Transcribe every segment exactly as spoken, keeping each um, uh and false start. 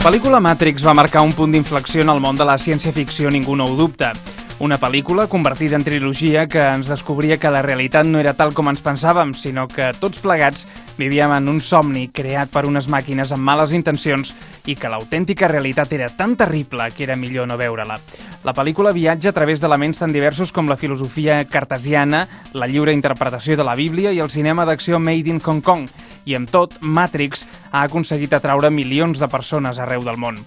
pel·lícula Matrix va marcar un punt d'inflexió en el món de la ciència-ficció, ningú no ho dubta. Una pel·lícula convertida en trilogia que ens descobria que la realitat no era tal com ens pensàvem, sinó que tots plegats vivíem en un somni creat per unes màquines amb males intencions i que l'autèntica realitat era tan terrible que era millor no veure-la. La pel·lícula viatja a través d'elements tan diversos com la filosofia cartesiana, la lliure interpretació de la Bíblia i el cinema d'acció made in Hong Kong. I amb tot, Matrix ha aconseguit atraure milions de persones arreu del món.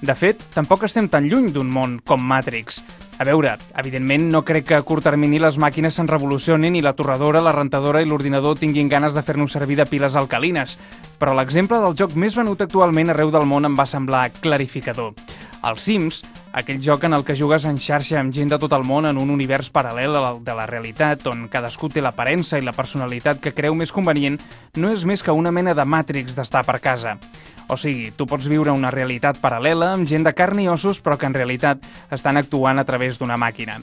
De fet, tampoc estem tan lluny d'un món com Matrix. A veure, evidentment no crec que a curt termini les màquines se'n revolucionin i la torradora, la rentadora i l'ordinador tinguin ganes de fer-nos servir de piles alcalines, però l'exemple del joc més venut actualment arreu del món em va semblar clarificador. El Sims, aquell joc en el que jugues en xarxa amb gent de tot el món en un univers paral·lel al de la realitat, on cadascú té l'aparença i la personalitat que creu més convenient, no és més que una mena de Matrix d'estar per casa. O sigui, tu pots viure una realitat paral·lela amb gent de carn i ossos, però que en realitat estan actuant a través d'una màquina.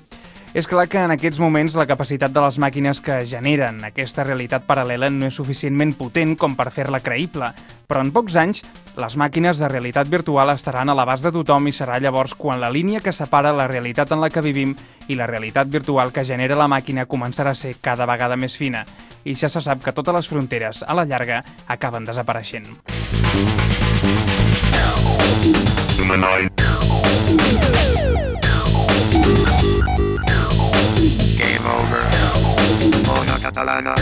És clar que en aquests moments la capacitat de les màquines que generen aquesta realitat paral·lela no és suficientment potent com per fer-la creïble, però en pocs anys les màquines de realitat virtual estaran a l'abast de tothom i serà llavors quan la línia que separa la realitat en la que vivim i la realitat virtual que genera la màquina començarà a ser cada vegada més fina. I ja se sap que totes les fronteres, a la llarga, acaben desapareixent. Game over. Ona Catalana.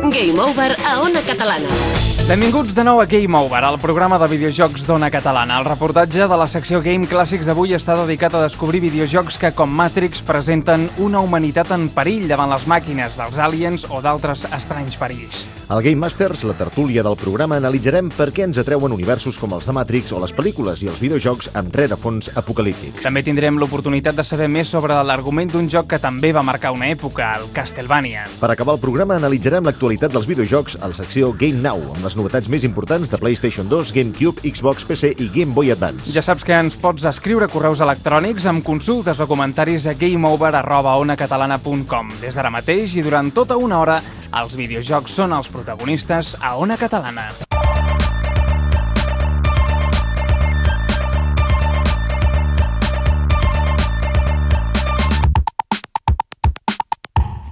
Game over a Ona Catalana. Benvinguts de nou a Game Over, el programa de videojocs d'Ona Catalana. El reportatge de la secció Game Clàssics d'avui està dedicat a descobrir videojocs que, com Matrix, presenten una humanitat en perill davant les màquines, dels aliens o d'altres estranys perills. Al Game Masters, la tertúlia del programa, analitzarem per què ens atreuen universos com els de Matrix o les pel·lícules i els videojocs amb rerefons apocalíptics. També tindrem l'oportunitat de saber més sobre l'argument d'un joc que també va marcar una època, el Castlevania. Per acabar el programa, analitzarem l'actualitat dels videojocs a la secció Game Now, amb les novetats més importants de PlayStation dos, GameCube, Xbox, P C i Game Boy Advance. Ja saps que ens pots escriure correus electrònics amb consultes o comentaris a gameover arroba onacatalana punt com. Des d'ara mateix i durant tota una hora, els videojocs són els protagonistes a Ona Catalana.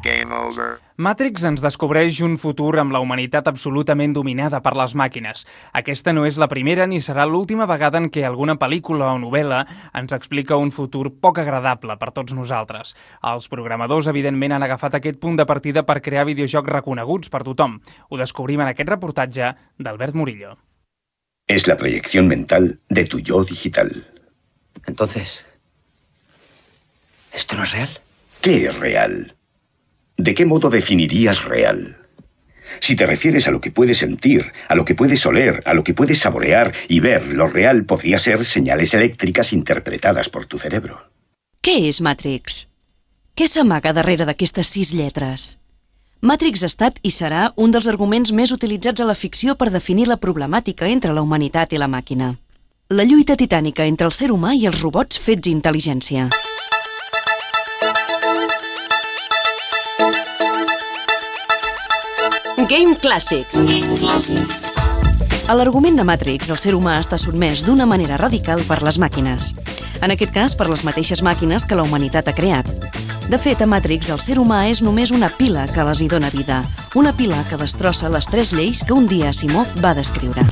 Game over. Matrix ens descobreix un futur amb la humanitat absolutament dominada per les màquines. Aquesta no és la primera ni serà l'última vegada en què alguna pel·lícula o novel·la ens explica un futur poc agradable per tots nosaltres. Els programadors, evidentment, han agafat aquest punt de partida per crear videojocs reconeguts per tothom. Ho descobrim en aquest reportatge d'Albert Murillo. Es la proyección mental de tu yo digital. Entonces, ¿esto no es real? ¿Qué es real? ¿De qué modo definirías real? Si te refieres a lo que puedes sentir, a lo que puedes oler, a lo que puedes saborear y ver, lo real podría ser señales eléctricas interpretadas por tu cerebro. Què és Matrix? Què s'amaga darrere d'aquestes sis lletres? Matrix ha estat i serà un dels arguments més utilitzats a la ficció per definir la problemàtica entre la humanitat i la màquina. La lluita titànica entre el ser humà i els robots fets intel·ligència. Game Clàssics. A l'argument de Matrix, el ser humà està sotmès d'una manera radical per les màquines. En aquest cas, per les mateixes màquines que la humanitat ha creat. De fet, a Matrix, el ser humà és només una pila que les hi dona vida. Una pila que destrossa les tres lleis que un dia Asimov va descriure.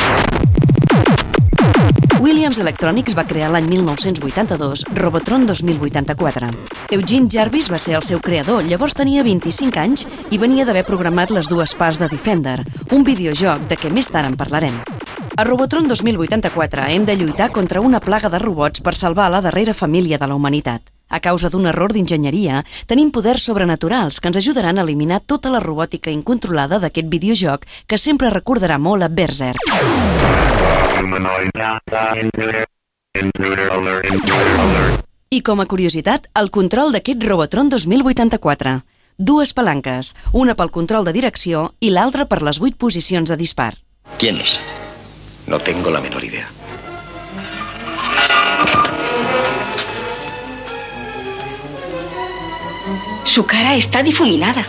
Williams Electronics va crear l'any mil nou-cents vuitanta-dos Robotron dos mil vuitanta-quatre. Eugene Jarvis va ser el seu creador, llavors tenia vint-i-cinc anys i venia d'haver programat les dues parts de Defender, un videojoc de què més tard en parlarem. A Robotron dos mil vuitanta-quatre hem de lluitar contra una plaga de robots per salvar la darrera família de la humanitat. A causa d'un error d'enginyeria, tenim poders sobrenaturals que ens ajudaran a eliminar tota la robòtica incontrolada d'aquest videojoc que sempre recordarà molt a Berserk. I com a curiositat, el control d'aquest Robotron dos mil vuitanta-quatre. Dues palanques, una pel control de direcció i l'altra per les vuit posicions de dispar. ¿Quién es? No tengo la menor idea. Su cara está difuminada.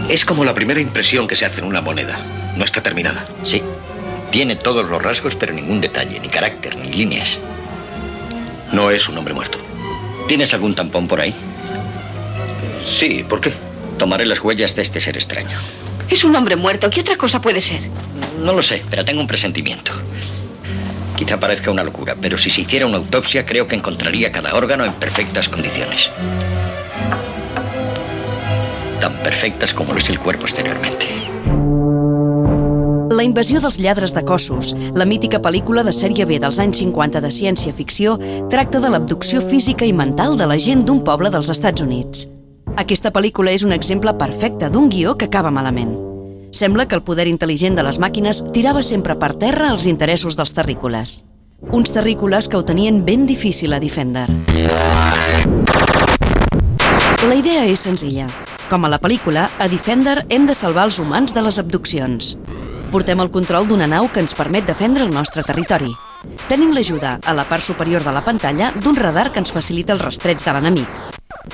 Es como la primera impresión que se hace en una moneda. No está terminada. Sí. Tiene todos los rasgos, pero ningún detalle, ni carácter, ni líneas. No es un hombre muerto. ¿Tienes algún tampón por ahí? Sí, ¿por qué? Tomaré las huellas de este ser extraño. Es un hombre muerto. ¿Qué otra cosa puede ser? No lo sé, pero tengo un presentimiento. Quizá parezca una locura, pero si se hiciera una autopsia, creo que encontraría cada órgano en perfectas condiciones. Tan perfectas como lo es el cuerpo exteriormente. La invasió dels lladres de cossos, la mítica pel·lícula de sèrie B dels anys cinquanta de ciència-ficció, tracta de l'abducció física i mental de la gent d'un poble dels Estats Units. Aquesta pel·lícula és un exemple perfecte d'un guió que acaba malament. Sembla que el poder intel·ligent de les màquines tirava sempre per terra els interessos dels terrícoles. Uns terrícoles que ho tenien ben difícil a Defender. La idea és senzilla. Com a la pel·lícula, a Defender hem de salvar els humans de les abduccions. Portem el control d'una nau que ens permet defendre el nostre territori. Tenim l'ajuda, a la part superior de la pantalla, d'un radar que ens facilita el rastreig de l'enemic.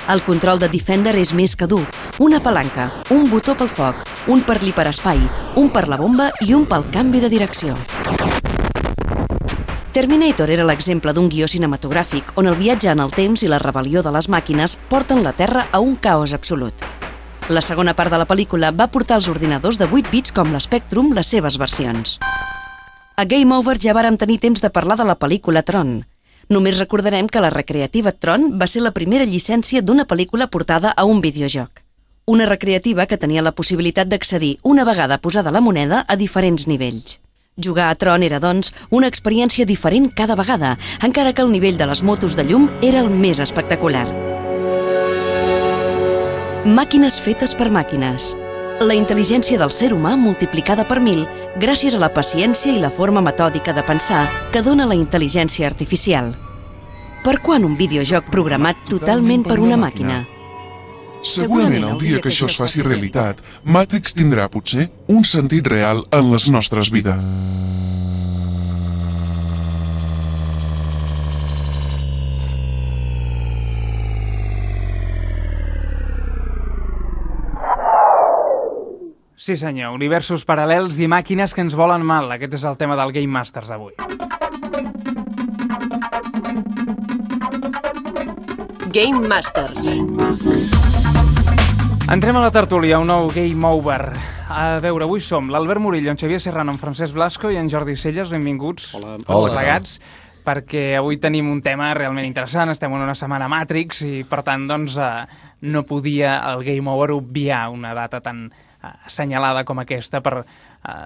El control de Defender és més que dur. Una palanca, un botó pel foc, un per l'hiperespai, un per la bomba i un pel canvi de direcció. Terminator era l'exemple d'un guió cinematogràfic on el viatge en el temps i la rebel·lió de les màquines porten la Terra a un caos absolut. La segona part de la pel·lícula va portar als ordinadors de vuit bits com l'Spectrum les seves versions. A Game Over ja vàrem tenir temps de parlar de la pel·lícula Tron. Només recordarem que la recreativa Tron va ser la primera llicència d'una pel·lícula portada a un videojoc. Una recreativa que tenia la possibilitat d'accedir una vegada posada la moneda a diferents nivells. Jugar a Tron era, doncs, una experiència diferent cada vegada, encara que el nivell de les motos de llum era el més espectacular. Màquines fetes per màquines. La intel·ligència del ser humà multiplicada per mil gràcies a la paciència i la forma metòdica de pensar que dona la intel·ligència artificial. Per quan un videojoc programat totalment per una màquina? Segurament el dia que això es faci realitat, Matrix tindrà, potser, un sentit real en les nostres vides. Sí senyor, universos paral·lels i màquines que ens volen mal. Aquest és el tema del Game Masters d'avui. Game Masters. Entrem a la tertúlia, un nou Game Over. A veure, avui som l'Albert Murillo, en Xavier Serrano, en Francesc Blasco i en Jordi Celles. Benvinguts. Hola. Hola. Plegats, perquè avui tenim un tema realment interessant. Estem en una setmana Matrix i, per tant, doncs, eh, no podia el Game Over obviar una data tan assenyalada com aquesta per uh,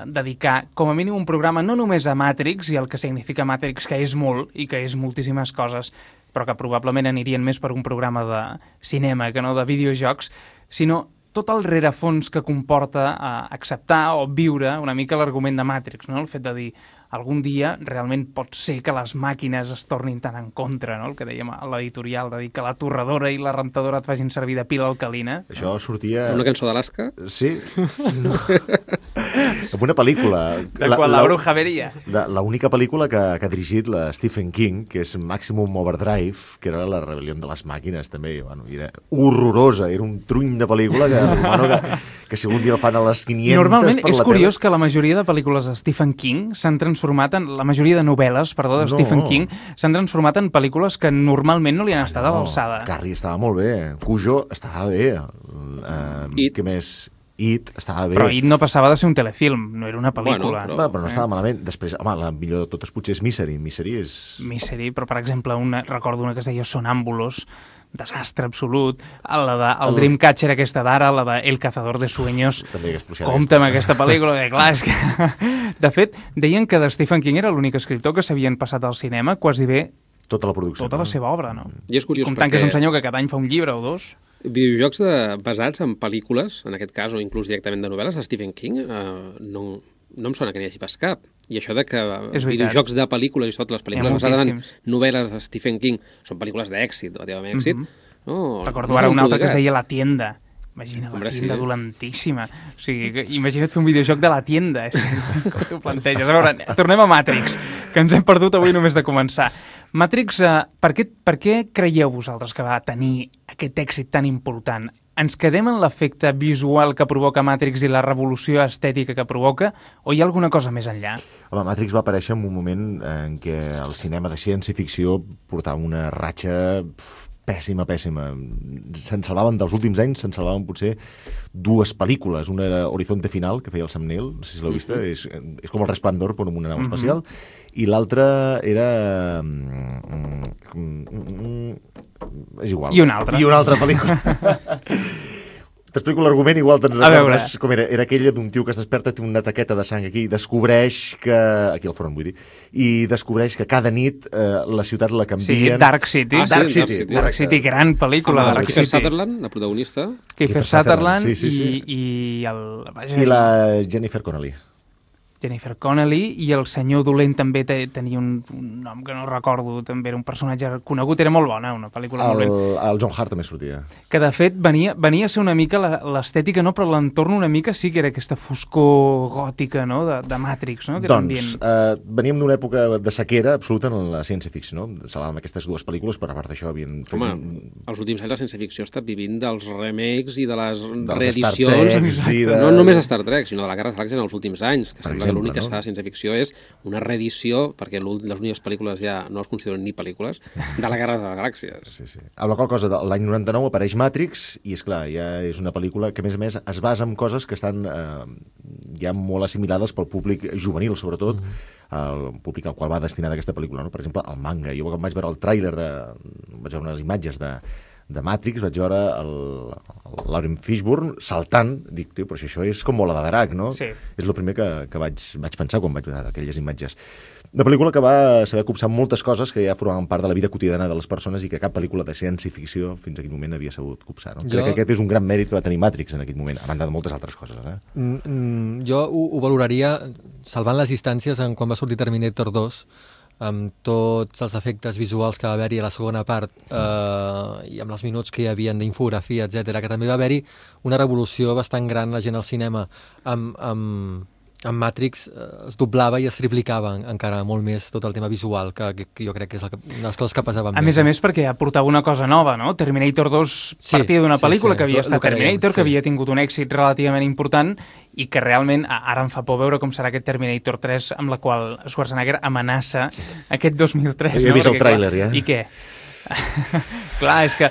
dedicar com a mínim un programa no només a Matrix i el que significa Matrix, que és molt i que és moltíssimes coses, però que probablement anirien més per un programa de cinema que no de videojocs, sinó tot el rerefons que comporta uh, acceptar o viure una mica l'argument de Matrix, no? El fet de dir algun dia realment pot ser que les màquines es tornin tan en contra, no? El que dèiem a l'editorial, de dir que la torradora i la rentadora et facin servir de pila alcalina. Això sortia... Una cançó d'Alaska? Sí. No. En una pel·lícula. De quan la, la bruja veria. L'única pel·lícula que, que ha dirigit la Stephen King, que és Maximum Overdrive, que era la rebel·lió de les màquines, també. Bueno, era horrorosa, era un truny de pel·lícula que, bueno, que, que si algun dia fan a les quinientes... Normalment per és la curiós tele... que la majoria de pel·lícules de Stephen King s'han transformat en... La majoria de novel·les, perdó, de no. Stephen King s'han transformat en pel·lícules que normalment no li han estat no, a l'alçada. Carrie estava molt bé, Cujo estava bé, uh, què més... It estava bé. Però It no passava de ser un telefilm, no era una pel·lícula. Bueno, però... però no estava eh? malament. Després, home, la millor de totes potser és Misery. Misery és... Misery, però per exemple, una, recordo una que es deia Sonàmbulos, desastre absolut, la de el, el Dreamcatcher aquesta d'ara, la de El cazador de sueños, compta amb aquesta pel·lícula, que clar, és que... De fet, deien que de Stephen King era l'únic escriptor que s'havien passat al cinema quasi bé tota la producció. Tota no? la seva obra, no? I és curiós comptant perquè... que és un senyor que cada any fa un llibre o dos. Videojocs de, basats en pel·lícules, en aquest cas, o inclús directament de novel·les, de Stephen King, eh, no, no em sona que n'hi hagi pas cap. I això de que videojocs de pel·lícules i tot, les pel·lícules basades en novel·les de Stephen King són pel·lícules d'èxit, relativament èxit. Mm-hmm. no, Recordo no ara una altra que es deia La Tienda. Imagina, La Tienda sí. dolentíssima. O sigui, imagina't fer un videojoc de La Tienda. Com t'ho planteges? A veure, tornem a Matrix, que ens hem perdut avui només de començar. Matrix, eh, per, què, per què creieu vosaltres que va tenir aquest èxit tan important? ens quedem en l'efecte visual que provoca Matrix i la revolució estètica que provoca, o hi ha alguna cosa més enllà? Home, Matrix va aparèixer en un moment en què el cinema de ciència-ficció portava una ratxa pf, pèssima, pèssima. Se'n salvaven, dels últims anys, se'n salvaven potser dues pel·lícules. Una era Horizonte Final, que feia el Sam Neill, no sé si l'heu vist, mm-hmm. és, és com el Resplendor, però amb una nau espacial, mm-hmm. i l'altra era... és igual. I una altra. I una altra pel·lícula. T'explico l'argument, igual te'n recordes com era. Era aquella d'un tio que es desperta, té una taqueta de sang aquí, i descobreix que... Aquí al front, vull dir. I descobreix que cada nit eh, la ciutat la canvien... Sí, Dark City. Ah, Dark sí, City, Dark City. Dark City, gran pel·lícula. Amb Dark Kiefer City. Sutherland, la protagonista. Kiefer Sutherland sí, sí, sí. i, i el... Vaja, I la Jennifer Connelly. Jennifer Connelly, i el senyor dolent també te, tenia un, un nom que no recordo, també era un personatge conegut, era molt bona, una pel·lícula el, molt ben. El John Hart també sortia. Que de fet venia, venia a ser una mica l'estètica, no? Però l'entorn una mica sí que era aquesta foscor gòtica, no? De, de Matrix, no? Que doncs, eh, veníem d'una època de sequera absoluta en la ciència-ficció, no? Salàvem aquestes dues pel·lícules, però a part d'això havien... Fet... Home, els últims anys la ciència-ficció ha estat vivint dels remakes i de les dels reedicions. De... No només Star Trek, sinó de la Guerra de les Galàxies en els últims anys, que per sembla exemple, que l'únic no? que es fa de ciència-ficció és una reedició, perquè les úniques pel·lícules ja no es consideren ni pel·lícules, de la Guerra de les Galàxies. Sí, sí. Amb la qual cosa, l'any noranta-nou apareix Matrix, i és clar, ja és una pel·lícula que a més a més es basa en coses que estan eh, ja molt assimilades pel públic juvenil, sobretot, mm-hmm. el públic al qual va destinada aquesta pel·lícula, no? Per exemple, el manga. Jo quan vaig veure el tràiler, de... vaig veure unes imatges de de Matrix, vaig veure el, el Laurence Fishburne saltant, dic, tio, però si això és com bola de drac, no? Sí. És el primer que, que vaig, vaig pensar quan vaig veure aquelles imatges. Una pel·lícula que va saber copsar moltes coses que ja formaven part de la vida quotidiana de les persones i que cap pel·lícula de ciència-ficció fins a aquell moment havia sabut copsar. No? Jo... Crec que aquest és un gran mèrit que va tenir Matrix en aquell moment, a banda de moltes altres coses. Eh? Mm, mm, jo ho, ho valoraria salvant les distàncies en quan va sortir Terminator dos, amb tots els efectes visuals que va haver-hi a la segona part eh, i amb els minuts que hi havia d'infografia, etcètera, que també va haver-hi una revolució bastant gran la gent al cinema amb, amb, amb Matrix eh, es doblava i es triplicava encara molt més tot el tema visual, que, que, que jo crec que és el que, una de les coses que pesava més. A més, més a més perquè aportava una cosa nova, no? Terminator dos sí, partia d'una pel·lícula sí, sí, que havia estat Terminator, sí. que havia tingut un èxit relativament important i que realment ara em fa por veure com serà aquest Terminator tres amb la qual Schwarzenegger amenaça aquest dos mil tres. Ja he no? vist Perquè, el tràiler, ja. I què? Clar, és que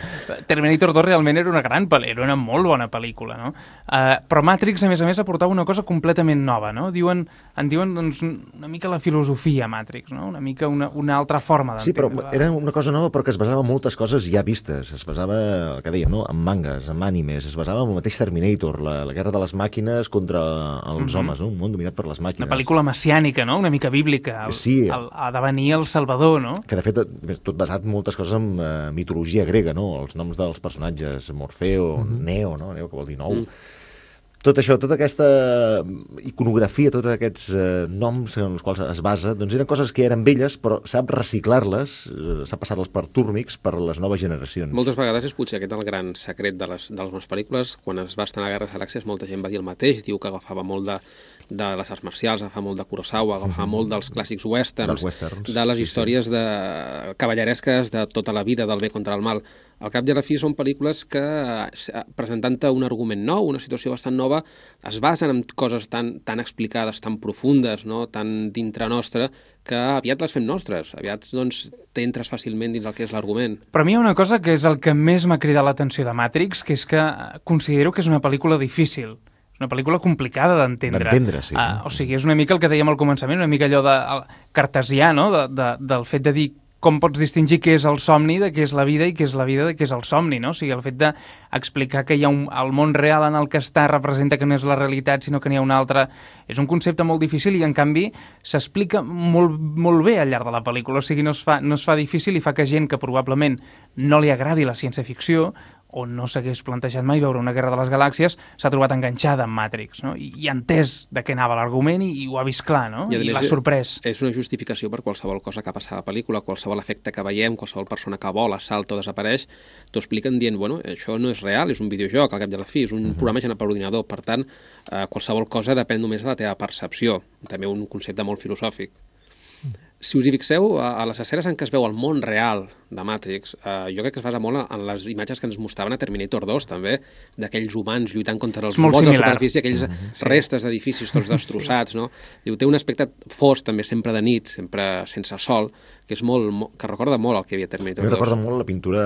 Terminator dos realment era una gran pel·lícula, era una molt bona pel·lícula, no? Uh, però Matrix, a més a més, aportava una cosa completament nova, no? Diuen, en diuen doncs, una mica la filosofia Matrix, no? Una mica una, una altra forma d'entendre. Sí, però era una cosa nova però que es basava en moltes coses ja vistes. Es basava, el que dèiem, no? En mangas, en animes, es basava en el mateix Terminator, la, la guerra de les màquines contra els mm-hmm. homes, no? Un món dominat per les màquines. Una pel·lícula messiànica, no? Una mica bíblica. El, sí. El, ha de venir el Salvador, no? Que, de fet, tot basat en moltes coses en uh, mitologia grega, no? Els noms dels personatges, Morfeo, mm-hmm. Neo, no? Neo, que vol dir nou. Mm. Tot això, tota aquesta iconografia, tots aquests eh, noms en els quals es basa, doncs eren coses que eren velles, però sap reciclar-les, eh, sap passar-les per túrmics per les noves generacions. Moltes vegades és potser aquest el gran secret de les, de les meves pel·lícules. Quan es va estar a la Guerra de les Galàxies, molta gent va dir el mateix, diu que agafava molt de, de les arts marcials, agafava molt de Kurosawa, agafava mm-hmm. molt dels clàssics westerns, westerns, de les sí, històries sí. de cavalleresques de tota la vida, del bé contra el mal. Al cap i a la fi són pel·lícules que, presentant-te un argument nou, una situació bastant nova, es basen en coses tan, tan explicades, tan profundes, no? Tan dintre nostra, que aviat les fem nostres. Aviat doncs, t'entres fàcilment dins el que és l'argument. Però a mi hi ha una cosa que és el que més m'ha cridat l'atenció de Matrix, que és que considero que és una pel·lícula difícil. És una pel·lícula complicada d'entendre. D'entendre, sí. Uh, o sigui, és una mica el que dèiem al començament, una mica allò de, cartesià, no? de, de, del fet de dir com pots distingir què és el somni de què és la vida i què és la vida de què és el somni, no? O sigui, el fet d'explicar que hi ha un, el món real en el que està representa que no és la realitat, sinó que n'hi ha un altre, és un concepte molt difícil i, en canvi, s'explica molt, molt bé al llarg de la pel·lícula. O sigui, no es fa, no es fa difícil i fa que gent que probablement no li agradi la ciència-ficció o no s'hagués plantejat mai veure una Guerra de les Galàxies, s'ha trobat enganxada en Matrix, no? I, i entès de què anava l'argument i, i ho ha vist clar, no? I, I l'ha sorprès. És una justificació per qualsevol cosa que passa a la pel·lícula, qualsevol efecte que veiem, qualsevol persona que vola, salta o desapareix, t'ho expliquen dient, bueno, això no és real, és un videojoc, al cap i a la fi, és un uh-huh. programa generat per ordinador, per tant, eh, qualsevol cosa depèn només de la teva percepció, també un concepte molt filosòfic. si us hi fixeu, a, a les escenes en què es veu el món real de Matrix, eh, jo crec que es basa molt en les imatges que ens mostraven a Terminator dos, també, d'aquells humans lluitant contra els robots a la superfície, aquells mm-hmm, sí. restes d'edificis tots destrossats, no? Diu, té un aspecte fosc, també, sempre de nit, sempre sense sol, que és molt, molt que recorda molt el que hi havia a Terminator dos. Mi recorda molt la pintura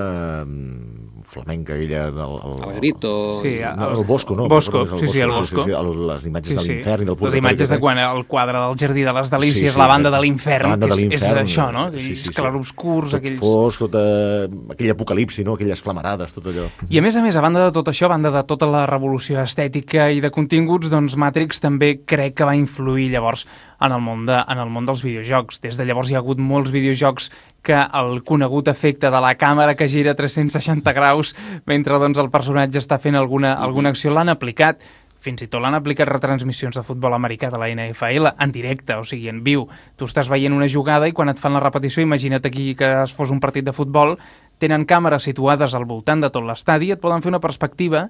flamenca, aquella del... El, el Grito... Sí, el, no, el Bosco, no? Bosco, sí, sí, el Bosco. Sí, sí, el, les imatges sí, sí. de l'infern i del purgatori. Les imatges de quan el quadre del Jardí de les Delícies, sí, sí, la banda de l'infern, que és, és això, no? Aquells sí, sí, sí. clarobscurs, tot aquells... fosc, tota... aquell apocalipsi, no? Aquelles flamarades, tot allò. I a més a més, a banda de tot això, a banda de tota la revolució estètica i de continguts, doncs Matrix també crec que va influir llavors en el món, de, en el món dels videojocs. Des de llavors hi ha hagut molts videojocs que el conegut efecte de la càmera que gira tres-cents seixanta graus mentre doncs, el personatge està fent alguna, alguna acció l'han aplicat. Fins i tot l'han aplicat retransmissions de futbol americà de la N F L en directe, o sigui, en viu. Tu estàs veient una jugada i quan et fan la repetició, imagina't aquí que es fos un partit de futbol, tenen càmeres situades al voltant de tot l'estadi i et poden fer una perspectiva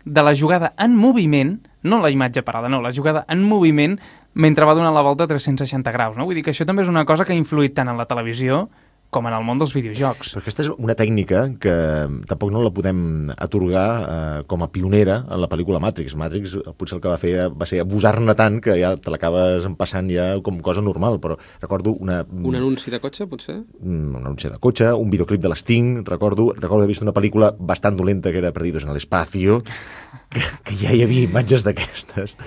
de la jugada en moviment, no la imatge parada, no, la jugada en moviment mentre va donant la volta a tres-cents seixanta graus. No? Vull dir que això també és una cosa que ha influït tant en la televisió com en el món dels videojocs. Però aquesta és una tècnica que tampoc no la podem atorgar eh, com a pionera en la pel·lícula Matrix. Matrix potser el que va fer va ser abusar-ne tant que ja te l'acabes empassant ja com cosa normal, però recordo una... Un anunci de cotxe, potser? Un anunci de cotxe, un videoclip de l'Sting, recordo, recordo haver vist una pel·lícula bastant dolenta que era Perdidos en el Espacio, que, que ja hi havia imatges d'aquestes.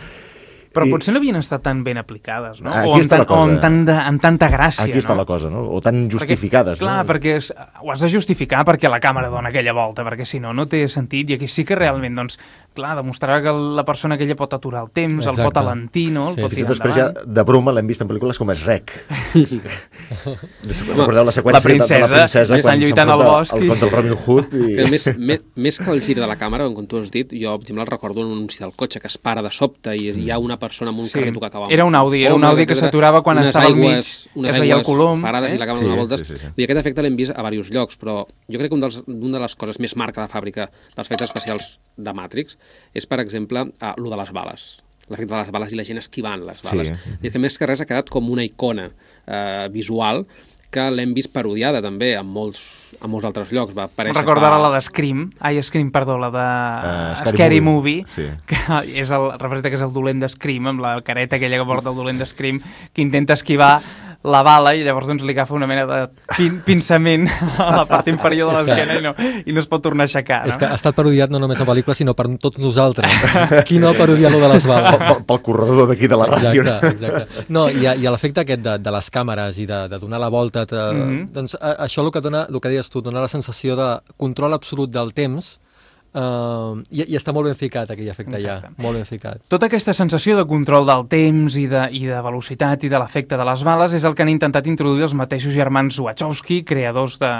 Però I... potser no havien estat tan ben aplicades, no? Aquí o amb, està la cosa. O amb, tant de, amb tanta gràcia, Aquí està no? la cosa, no? O tan justificades, perquè, clar, no? perquè és, ho has de justificar perquè la càmera dona aquella volta, perquè si no, no té sentit. I aquí sí que realment, doncs, clar, demostrarà que la persona aquella pot aturar el temps, exacte. El pot alentir, no? El sí, pot sí, tirar després endavant. Ja, de broma, l'hem vist en pel·lícules com Shrek. Recordeu la seqüència la princesa, de la princesa quan lluitant al bosc el contra el Robin Hood. I... Que més, més, més que el gir de la càmera, com tu has dit, jo, per exemple, el recordo un anunci del cotxe que es para de sobte i hi ha una persona amb un sí. carrito que acaba... Era un Audi, era un Audi que s'aturava quan estava al mig, es veia el colom. Parades eh? i la càmera sí, donava voltes. Sí, sí, sí. I aquest efecte l'hem vist a diversos llocs, però jo crec que un dels, una de les coses més marca de fàbrica dels efectes especials de Matrix és, per exemple, uh, lo de les bales. L'efecte de les bales i la gent esquivant les bales. Sí. I que més que res ha quedat com una icona uh, visual que l'hem vist parodiada també en molts, en molts altres llocs. Va Recordo ara fa... la de Scream, ai, Scream, perdó, la de uh, Scary, Scary Movie, movie sí. que és el, representa que és el dolent de Scream, amb la careta aquella que porta el dolent de Scream, que intenta esquivar la bala i llavors doncs, li agafa una mena de pin pinçament a la part inferior de l'esquena i, no, i no es pot tornar a aixecar. No? És que ha estat parodiat no només en pel·lícula, sinó per tots nosaltres. Qui no ha parodiat lo de les bales? Pel, pel corredor d'aquí de la ràdio. Exacte, exacte. No, i, i l'efecte aquest de, de les càmeres i de, de donar la volta, te, mm -hmm. doncs a, això el que dona, el que deies tu, dona la sensació de control absolut del temps. Uh, i, i està molt ben ficat aquell efecte. Exacte. Ja, molt ben ficat. Tota aquesta sensació de control del temps i de, i de velocitat i de l'efecte de les bales és el que han intentat introduir els mateixos germans Wachowski, creadors de...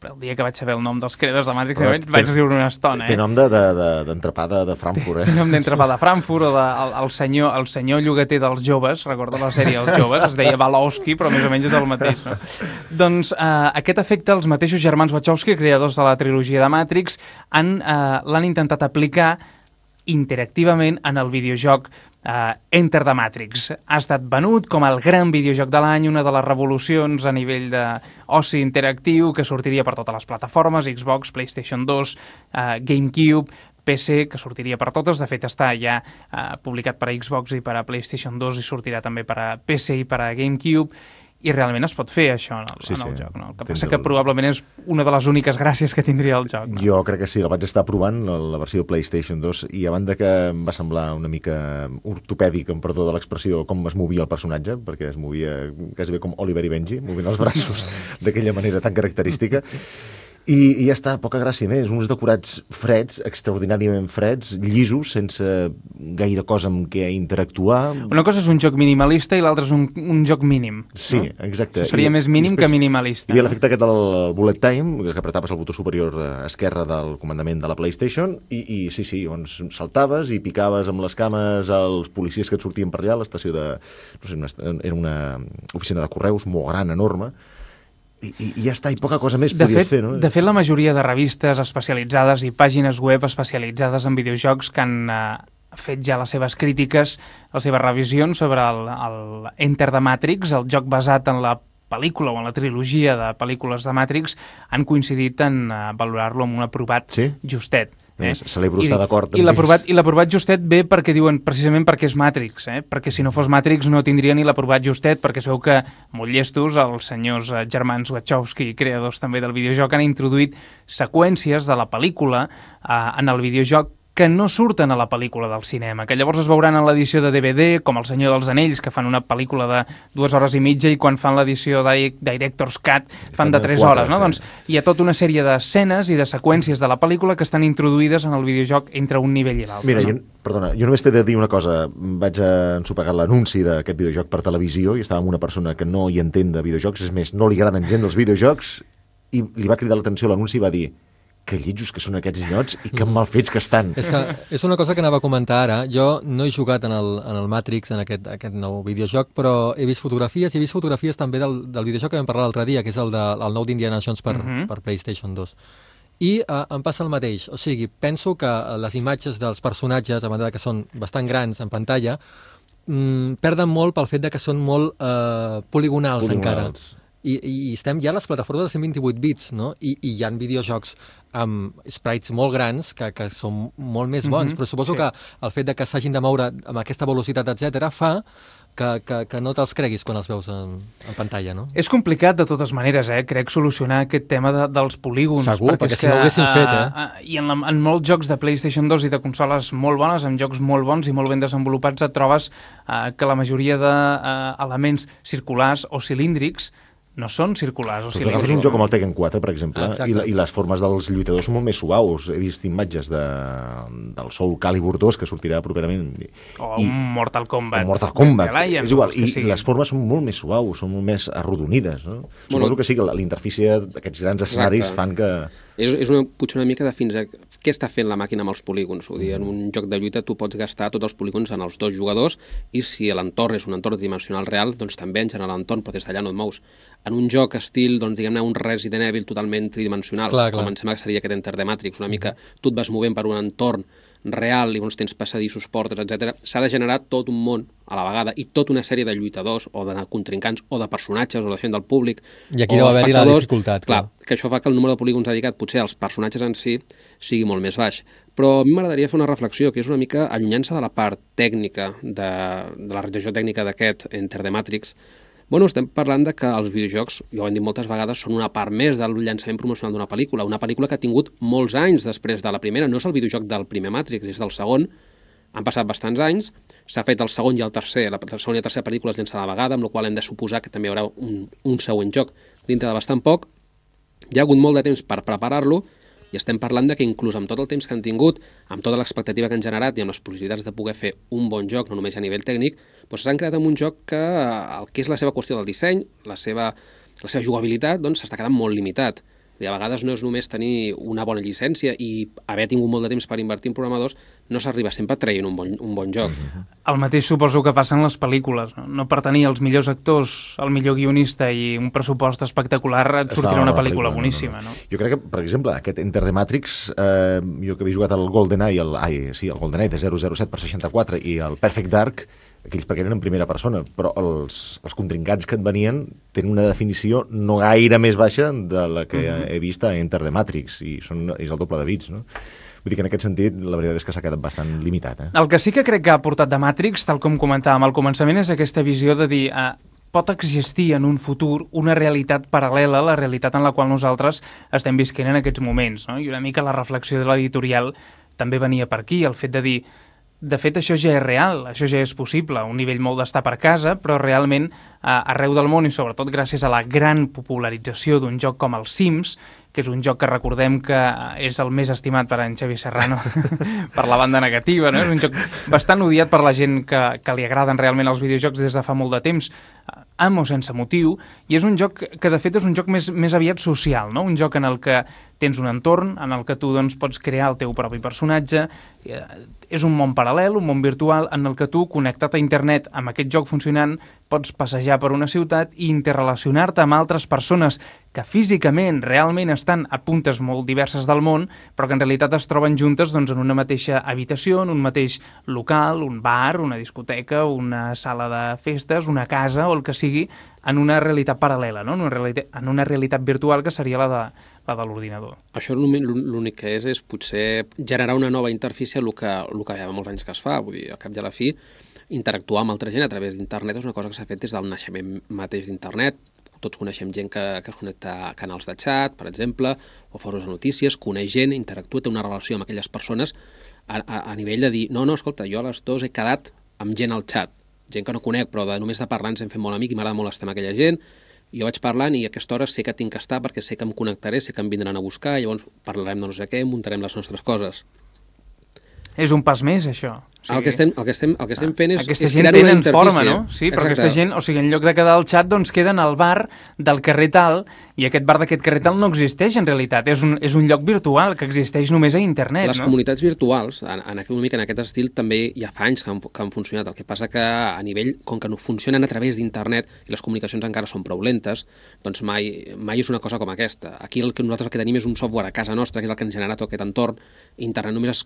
Però el dia que vaig saber el nom dels creadors de Matrix vaig, vaig riure una estona. Té eh? nom d'entrepà de, de, de Frankfurt, eh? Té nom d'entrepà de Frankfurt, o de, el, el, senyor, el senyor llogater dels joves, recorda la sèrie Els joves, es deia Balowski, però més o menys és el mateix, no? Doncs eh, aquest efecte, els mateixos germans Wachowski, creadors de la trilogia de Matrix, han, eh, l'han intentat aplicar interactivament en el videojoc Uh, Enter the Matrix. Ha estat venut com el gran videojoc de l'any, una de les revolucions a nivell d'oci interactiu que sortiria per totes les plataformes, Xbox, PlayStation dos, uh, GameCube, P C, que sortiria per totes. De fet, està ja uh, publicat per a Xbox i per a PlayStation dos i sortirà també per a P C i per a GameCube. I realment es pot fer això en el, sí, en el sí. joc. No? El que passa el... que probablement és una de les úniques gràcies que tindria el joc. No? Jo crec que sí, la vaig estar provant, la versió PlayStation dos, i a banda que em va semblar una mica ortopèdic, amb perdó de l'expressió, com es movia el personatge, perquè es movia quasi bé com Oliver i Benji, movint els braços d'aquella manera tan característica. I, i ja està, poca gràcia més, uns decorats freds, extraordinàriament freds, llisos, sense gaire cosa amb què interactuar. Una cosa és un joc minimalista i l'altra és un, un joc mínim. Sí, no? exacte. Això seria I, més mínim que minimalista. Hi havia l'efecte aquest del bullet time, que apretaves el botó superior esquerre del comandament de la PlayStation, i, i sí, sí, doncs saltaves i picaves amb les cames als policies que et sortien per allà, a l'estació de... no sé, una, era una oficina de correus molt gran, enorme, I, i ja està, i poca cosa més podies fer, no? De fet, la majoria de revistes especialitzades i pàgines web especialitzades en videojocs que han eh, fet ja les seves crítiques, les seves revisions sobre el, el Enter the Matrix, el joc basat en la pel·lícula o en la trilogia de pel·lícules de Matrix han coincidit en uh, valorar-lo amb un aprovat sí? justet. Eh? Celebro estar d'acord. I l'aprovat justet ve perquè diuen precisament perquè és Matrix, eh? perquè si no fos Matrix no tindria ni l'aprovat justet, perquè es veu que molt llestos els senyors eh, germans Wachowski, creadors també del videojoc, han introduït seqüències de la pel·lícula eh, en el videojoc que no surten a la pel·lícula del cinema, que llavors es veuran en l'edició de D V D, com El Senyor dels Anells, que fan una pel·lícula de dues hores i mitja i quan fan l'edició de Director's Cut fan de tres hores, no? Doncs hi ha tota una sèrie d'escenes i de seqüències de la pel·lícula que estan introduïdes en el videojoc entre un nivell i l'altre. Mira, no? jo, perdona, jo només t'he de dir una cosa. Vaig ensopegar l'anunci d'aquest videojoc per televisió i estava amb una persona que no hi entén de videojocs, és més, no li agraden gens els videojocs, i li va cridar l'atenció l'anunci i va dir que lletjos que són aquests nyots i que mal fets que estan. És, que és una cosa que anava a comentar ara. Jo no he jugat en el, en el Matrix, en aquest, aquest nou videojoc, però he vist fotografies, i he vist fotografies també del, del videojoc que vam parlar l'altre dia, que és el, de, el nou d'Indiana Jones per, uh-huh. per PlayStation dos. I uh, em passa el mateix. O sigui, penso que les imatges dels personatges, a banda que són bastant grans en pantalla, mm, perden molt pel fet de que són molt uh, poligonals, poligonals encara. I, i estem ja a les plataformes de cent vint-i-vuit bits, no? I, i hi ha videojocs amb sprites molt grans que, que són molt més bons, mm-hmm. però suposo sí. que el fet de que s'hagin de moure amb aquesta velocitat, etcètera, fa que, que, que no te'ls creguis quan els veus en, en pantalla, no? És complicat de totes maneres, eh? Crec, solucionar aquest tema de, dels polígons. Segur, perquè, perquè si no ho haguessin uh, fet, eh? Uh, I en, la, en molts jocs de PlayStation dos i de consoles molt bones, amb jocs molt bons i molt ben desenvolupats, et trobes uh, que la majoria d'elements uh, circulars o cilíndrics no són circulars o cilíndrics. Agafes un joc com el Tekken quatre, per exemple, ah, i, la, i les formes dels lluitadors són molt més suaus. He vist imatges de, del Soul Calibur dos, que sortirà properament. O I, un Mortal Kombat. Un Mortal Kombat, Lions, és igual. I, I les formes són molt més suaus, són molt més arrodonides. No? Bueno, suposo que sí, que l'interfície d'aquests grans escenaris exacte. fan que... És, és una, potser una mica de fins a què està fent la màquina amb els polígons. Vull dir, en un joc de lluita tu pots gastar tots els polígons en els dos jugadors i si l'entorn és un entorn dimensional real, doncs també en general l'entorn, però des d'allà no et mous. En un joc estil, doncs, diguem-ne, un Resident Evil totalment tridimensional, clar, com clar. em sembla que seria aquest Enter the Matrix, una mica tu et vas movent per un entorn real i doncs, tens passadissos, portes, etcètera. S'ha de generar tot un món a la vegada i tota una sèrie de lluitadors o de contrincants o de personatges o de gent del públic. I aquí deu haver-hi la dificultat. Clar, clar, que això fa que el número de polígons dedicat potser als personatges en si sigui molt més baix. Però a mi m'agradaria fer una reflexió que és una mica allunyant-se de la part tècnica, de, de la realització tècnica d'aquest Enter the Matrix. Bueno, estem parlant de que els videojocs, ja ho hem dit moltes vegades, són una part més del llançament promocional d'una pel·lícula, una pel·lícula que ha tingut molts anys després de la primera, no és el videojoc del primer Matrix, és del segon, han passat bastants anys, s'ha fet el segon i el tercer, la segona i la tercera pel·lícula es llença a la vegada, amb la qual hem de suposar que també hi haurà un, un següent joc dintre de bastant poc. Hi ha hagut molt de temps per preparar-lo, i estem parlant de que inclús amb tot el temps que han tingut, amb tota l'expectativa que han generat i amb les possibilitats de poder fer un bon joc, no només a nivell tècnic, doncs s'han creat amb un joc que el que és la seva qüestió del disseny, la seva, la seva jugabilitat, doncs s'està quedant molt limitat. I a vegades no és només tenir una bona llicència i haver tingut molt de temps per invertir en programadors, no s'arriba sempre traient un bon, un bon joc. El mateix suposo que passa en les pel·lícules. No, no per tenir els millors actors, el millor guionista i un pressupost espectacular et sortirà una pel·lícula, pel·lícula boníssima. No, no. No? Jo crec que, per exemple, aquest Enter the Matrix, eh, jo que havia jugat al GoldenEye, el, ai, sí, el GoldenEye de zero zero set per seixanta-quatre i el Perfect Dark, aquells perquè eren en primera persona, però els, els contrincants que et venien tenen una definició no gaire més baixa de la que uh-huh. he vist a Enter the Matrix, i són, és el doble de bits, no? Vull dir que en aquest sentit la veritat és que s'ha quedat bastant limitat. Eh? El que sí que crec que ha portat de Matrix, tal com comentàvem al començament, és aquesta visió de dir eh, pot existir en un futur una realitat paral·lela a la realitat en la qual nosaltres estem visquent en aquests moments, no? I una mica la reflexió de l'editorial també venia per aquí, el fet de dir de fet, això ja és real, això ja és possible, un nivell molt d'estar per casa, però realment eh, arreu del món i sobretot gràcies a la gran popularització d'un joc com el Sims, que és un joc que recordem que és el més estimat per en Xavi Serrano per la banda negativa, no? És un joc bastant odiat per la gent que, que li agraden realment els videojocs des de fa molt de temps, amb o sense motiu, i és un joc que de fet és un joc més, més aviat social, no? Un joc en el que tens un entorn, en el que tu doncs, pots crear el teu propi personatge, és un món paral·lel, un món virtual, en el que tu, connectat a internet amb aquest joc funcionant, pots passejar per una ciutat i interrelacionar-te amb altres persones que físicament, realment estan a puntes molt diverses del món, però que en realitat es troben juntes doncs, en una mateixa habitació, en un mateix local, un bar, una discoteca, una sala de festes, una casa o el que sigui, en una realitat paral·lela, no? en, una realitat, en una realitat virtual que seria la de, la de l'ordinador. Això l'únic que és és potser generar una nova interfície, el que, el que hi ha molts anys que es fa, vull dir, al cap i a la fi, interactuar amb altra gent a través d'internet és una cosa que s'ha fet des del naixement mateix d'internet. Tots coneixem gent que, que es connecta a canals de xat, per exemple, o fòrums de notícies, coneix gent, interactua, té una relació amb aquelles persones a, a, a nivell de dir, no, no, escolta, jo a les dues he quedat amb gent al xat, gent que no conec, però de, només de parlar ens hem fet molt amic i m'agrada molt estar amb aquella gent, jo vaig parlant i a aquesta hora sé que tinc que estar perquè sé que em connectaré, sé que em vindran a buscar, llavors parlarem de no sé què, muntarem les nostres coses. És un pas més, això. O sigui, el, que estem, el, que estem, el que estem fent és, aquesta és gent crear una tenen interfície. Forma, no? Sí, però Exacte. aquesta gent, o sigui, en lloc de quedar al xat, doncs queden al bar del carrer tal, i aquest bar d'aquest carrer tal no existeix en realitat, és un, és un lloc virtual que existeix només a internet. Les no? comunitats virtuals, en, en, una mica en aquest estil, també ja fa anys que han, que han funcionat. El que passa que a nivell, com que no funcionen a través d'internet i les comunicacions encara són prou lentes, doncs mai, mai és una cosa com aquesta. Aquí el que nosaltres el que tenim és un software a casa nostra, que és el que ens genera tot aquest entorn. Internet només es,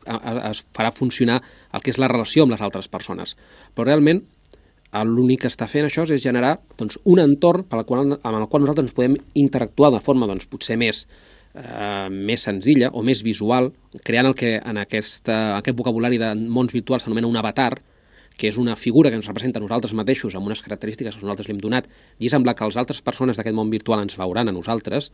es farà funcionar el que és la relació amb les altres persones. Però realment l'únic que està fent això és generar doncs, un entorn per qual, amb el qual nosaltres ens podem interactuar de forma doncs, potser més, eh, més senzilla o més visual, creant el que en aquesta, aquest vocabulari de mons virtuals s'anomena un avatar, que és una figura que ens representa a nosaltres mateixos amb unes característiques que nosaltres li hem donat i sembla que les altres persones d'aquest món virtual ens veuran a nosaltres,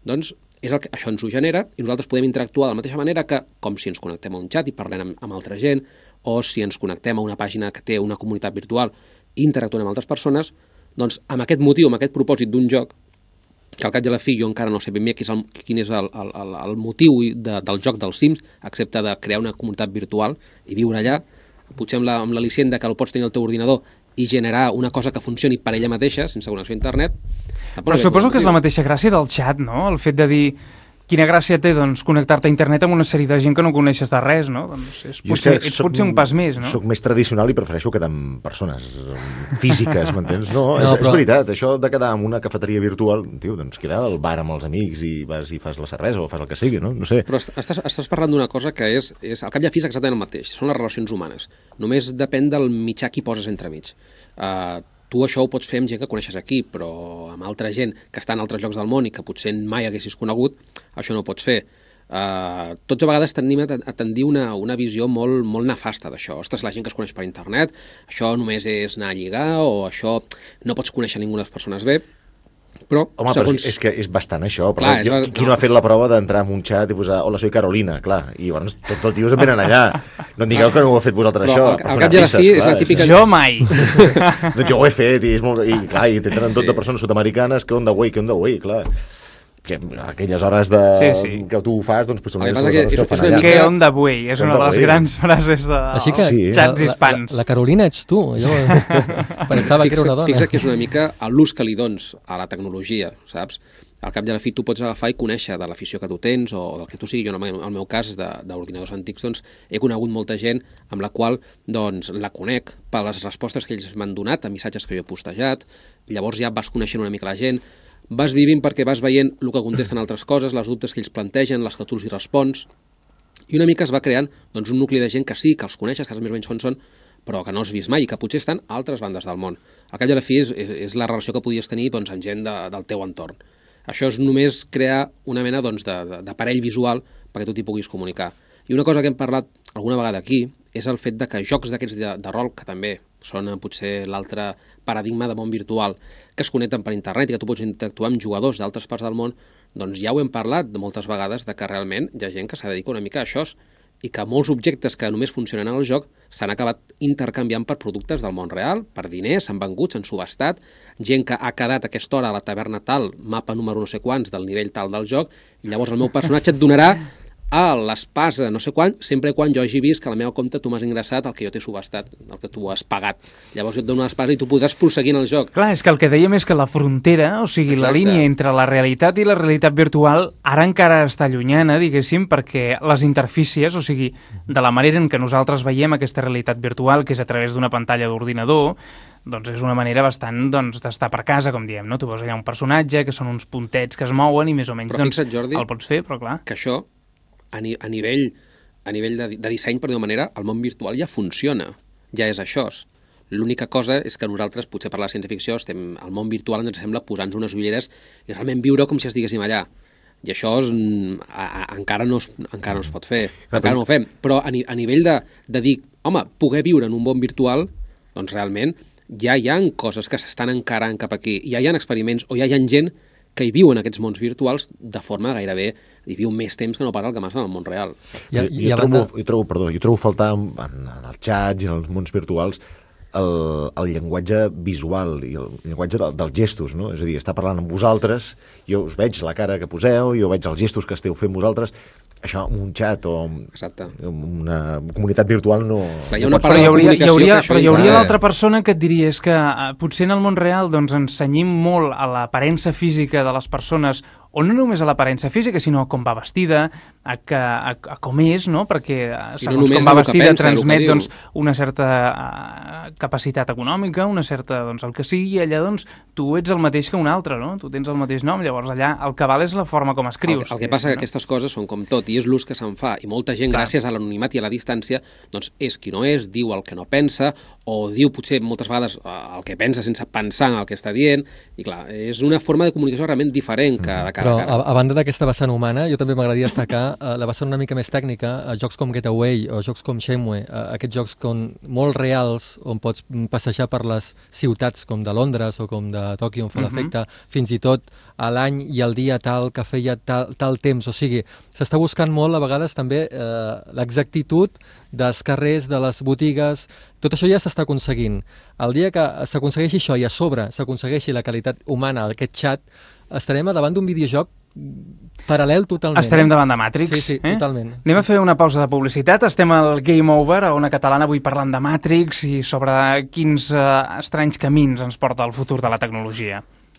doncs és el que, això ens ho genera i nosaltres podem interactuar de la mateixa manera que com si ens connectem a un xat i parlem amb, amb altra gent, o si ens connectem a una pàgina que té una comunitat virtual i interactuem amb altres persones, doncs amb aquest motiu, amb aquest propòsit d'un joc, que al cap i a la fi jo encara no sé ben bé quin és el, quin és el, el, el, el motiu de, del joc dels Sims, excepte de crear una comunitat virtual i viure allà, potser amb l'al·licient la, que el pots tenir al teu ordinador i generar una cosa que funcioni per ella mateixa, sense connexió a internet. Però suposo que és la mateixa gràcia del xat, no? El fet de dir quina gràcia té doncs, connectar-te a internet amb una sèrie de gent que no coneixes de res, no? Doncs és potser, ets potser un pas més, no? Soc més tradicional i prefereixo quedar amb persones físiques, m'entens? No, no és, però... és veritat, això de quedar en una cafeteria virtual, tio, doncs quedar al bar amb els amics i vas i fas la cervesa o fas el que sigui, no? No sé. Però estàs, estàs parlant d'una cosa que és, és al cap i a fi és exactament el mateix, són les relacions humanes. Només depèn del mitjà que hi poses entremig. Uh, tu això ho pots fer amb gent que coneixes aquí, però amb altra gent que està en altres llocs del món i que potser mai haguessis conegut, això no ho pots fer. Uh, tots a vegades tendim a, a tendir una, una visió molt, molt nefasta d'això. Ostres, la gent que es coneix per internet, això només és anar a lligar o això no pots conèixer ningú de les persones bé. Però, home, segons... però és que és bastant això. Però clar, jo, és... Qui no ha fet la prova d'entrar en un xat i posar hola, soy Carolina, clar, i bueno, tots els tios em venen allà. No em digueu que no ho heu fet vosaltres, però, això. Al, al cap i a la fi és la típica... Jo mai! Doncs jo ho he fet, i, és molt... I clar, i tenen tot sí. de persones sud-americanes que on the way, que on the way, clar. Que aquelles hores de... sí, sí. que tu ho fas, doncs potser les hores que, que ho fan allà. Que on the way, és una de les grans frases de Així que, sí. xats la, hispans. La, la Carolina ets tu, jo pensava que era una dona. Fixa que és una mica l'ús que li dones a la tecnologia, saps? Al cap i a la fi tu pots agafar i conèixer de l'afició que tu tens o del que tu sigui. Jo, en el meu cas, d'ordinadors antics, doncs, he conegut molta gent amb la qual doncs, la conec per les respostes que ells m'han donat a missatges que jo he postejat. Llavors ja vas coneixent una mica la gent, vas vivint perquè vas veient el que contesten altres coses, les dubtes que ells plantegen, les que tu els hi respons, i una mica es va creant doncs, un nucli de gent que sí, que els coneixes, que més o menys on són, però que no has vist mai i que potser estan a altres bandes del món. Al cap i a la fi és, és, és la relació que podies tenir doncs, amb gent de, del teu entorn. Això és només crear una mena doncs, d'aparell visual perquè tu t'hi puguis comunicar. I una cosa que hem parlat alguna vegada aquí és el fet de que jocs d'aquests de, de rol, que també són potser l'altre paradigma de món virtual, que es connecten per internet i que tu pots interactuar amb jugadors d'altres parts del món, doncs ja ho hem parlat de moltes vegades de que realment hi ha gent que s'ha dedicat una mica a això i que molts objectes que només funcionen en el joc s'han acabat intercanviant per productes del món real, per diners, s'han vengut, s'han subhastat, gent que ha quedat a aquesta hora a la taverna tal, mapa número no sé quants del nivell tal del joc, i llavors el meu personatge et donarà a l'espasa no sé quan, sempre quan jo hagi vist que a la meva compte tu m'has ingressat el que jo t'he subhastat, el que tu has pagat. Llavors jo et dono l'espasa i tu podràs prosseguir en el joc. Clar, és que el que dèiem és que la frontera, o sigui, Exacte. la línia entre la realitat i la realitat virtual ara encara està llunyana, diguéssim, perquè les interfícies, o sigui, de la manera en què nosaltres veiem aquesta realitat virtual, que és a través d'una pantalla d'ordinador, doncs és una manera bastant doncs, d'estar per casa, com diem, no? Tu veus allà un personatge, que són uns puntets que es mouen i més o menys però doncs, fixa't, Jordi, el pots fer, però clar... que això, a, ni a nivell, a nivell de, de disseny, per d'una manera, el món virtual ja funciona, ja és això. L'única cosa és que nosaltres, potser per la ciència-ficció, estem al món virtual ens sembla posar-nos unes ulleres i realment viure com si estiguéssim allà. I això és, a, a, encara, no es, encara no es pot fer, clar, encara no ho fem. Però a, ni, a nivell de, de dir, home, poder viure en un món virtual, doncs realment ja hi ha coses que s'estan encarant cap aquí. Ja hi ha experiments o ja hi ha gent que hi viu en aquests mons virtuals de forma gairebé, hi viu més temps que no pas el que massa en el món real. I, jo, jo, trobo, jo, trobo, perdó, jo trobo faltar en, en els xats i en els mons virtuals el, el llenguatge visual i el llenguatge de, dels gestos, no? És a dir, està parlant amb vosaltres, jo us veig la cara que poseu, jo veig els gestos que esteu fent vosaltres, això, un xat o Exacte. una comunitat virtual no... Clar, hi ha una part de la comunicació hi hauria, però hi hauria l'altra persona que et diria és que uh, potser en el món real doncs, ens cenyim molt a l'aparença física de les persones, o no només a l'aparença física, sinó a com va vestida, a, que, a, a com és, no? Perquè segons no com va vestida pensa, transmet doncs, una certa uh, capacitat econòmica, una certa, doncs, el que sigui, i allà doncs, tu ets el mateix que un altre, no? Tu tens el mateix nom, llavors allà el que val és la forma com escrius. El, el que passa no? que aquestes coses són com tot, i és l'ús que se'n fa, i molta gent, clar, gràcies a l'anonimat i a la distància, doncs és qui no és, diu el que no pensa, o diu potser moltes vegades el que pensa sense pensar en el que està dient, i clar, és una forma de comunicació realment diferent que de cara Però, a cara. A, a banda d'aquesta vessant humana, jo també m'agradaria destacar uh, la vessant una mica més tècnica, a jocs com Getaway o jocs com Shenmue, uh, aquests jocs com molt reals, on pots passejar per les ciutats com de Londres o com de Tòquio, on fa uh -huh. l'efecte, fins i tot a l'any i el dia tal que feia tal, tal temps, o sigui, s'està buscant molt a vegades també eh, l'exactitud dels carrers, de les botigues, tot això ja s'està aconseguint. El dia que s'aconsegueixi això i a sobre s'aconsegueixi la qualitat humana, aquest xat, estarem davant d'un videojoc paral·lel totalment. Estarem davant de Matrix. Sí, sí, eh? totalment. Anem a fer una pausa de publicitat. Estem al Game Over, a Ona Catalana, avui parlant de Matrix i sobre quins eh, estranys camins ens porta el futur de la tecnologia.